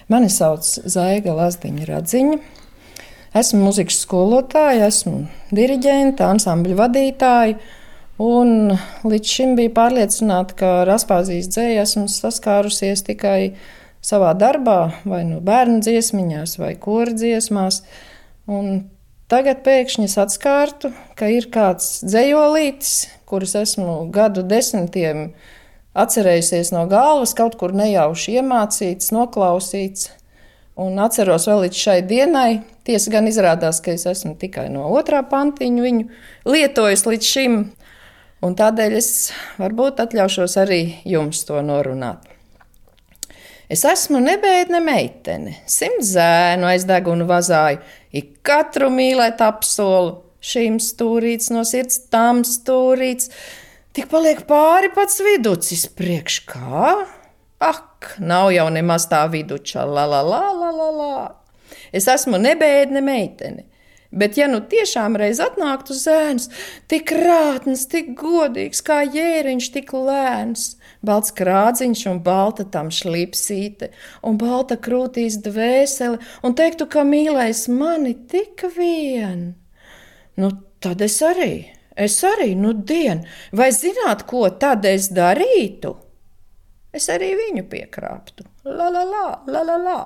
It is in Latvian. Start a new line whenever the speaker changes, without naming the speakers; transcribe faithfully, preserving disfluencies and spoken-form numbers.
Mani sauc Zaiga Lazdiņa Radziņa. Esmu mūzikas skolotāja, esmu diriģente, ansambļa vadītāja. Un līdz šim biju pārliecināta, ka ar Aspāzijas dzēju esmu saskārusies tikai savā darbā, vai nu bērnu dziesmiņās, vai kora dziesmās. Un tagad pēkšņi es atskārtu, ka ir kāds dzējolītis, kurus esmu gadu desmitiem atcerējusies no galvas, kaut kur nejauši iemācīts, noklausīts. Un atceros vēl līdz šai dienai. Tiesa gan izrādās, ka es esmu tikai no otrā pantiņa viņu lietojis līdz šim. Un tādēļ es varbūt atļaušos arī jums to norunāt. Es esmu nebēdne meitene, simt zēnu aiz degunu vazāju, ik katru mīlēt apsolu, šim stūrīts no sirds, tam stūrīts, tik paliek pāri pats viducis priekš kā? Ak, nav jau nemaz tā viduča, la la la la la la. Es esmu nebēdne meitene, bet ja nu tiešām reiz atnāktu zēns, tik rātns, tik godīgs, kā jēriņš, tik lēns, balts krādziņš un balta tam šlipsīte, un balta krūtīs dvēsele, un teiktu, ka mīlēs mani tik vien. Nu, tad es arī, es arī, nu dien, vai zināt, ko tad es darītu? Es arī viņu piekrāptu. La la la, la la la.